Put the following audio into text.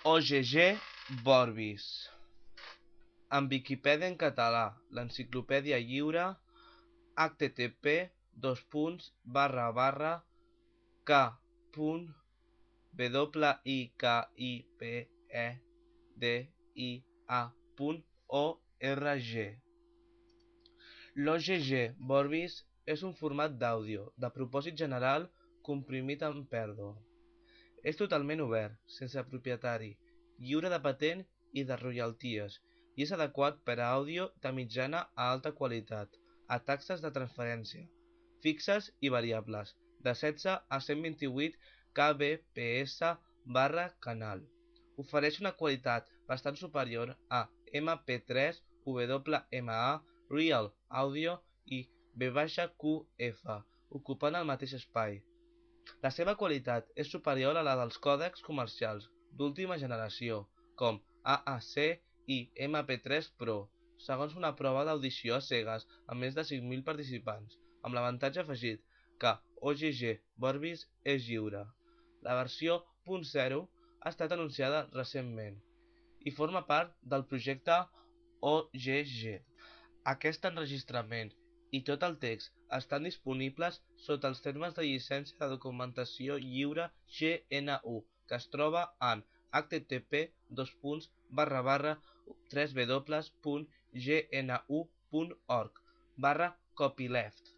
OGG Vorbis. En Viquipèdia en català, l'enciclopèdia lliure, http://k.wikipedia.org. L'OGG Vorbis és un format d'àudio de propòsit general comprimit en pèrdua. És totalment obert, sense propietari, lliure de patent i de royalties, i és adequat per a àudio de mitjana a alta qualitat, a taxes de transferència, fixes i variables, de 16 a 128 kbps/canal. Ofereix una qualitat bastant superior a MP3, WMA, Real Audio i VHQF, ocupant el mateix espai. La seva qualitat és superior a la dels còdecs comercials d'última generació, com AAC i MP3 Pro, segons una prova d'audició a cegues amb més de 5.000 participants, amb l'avantatge afegit que OGG Vorbis és lliure. La versió .0 ha estat anunciada recentment i forma part del projecte OGG. Aquest enregistrament i tot el text estan disponibles sota els termes de llicència de documentació lliure GNU, que es troba en http://www.gnu.org/copyleft.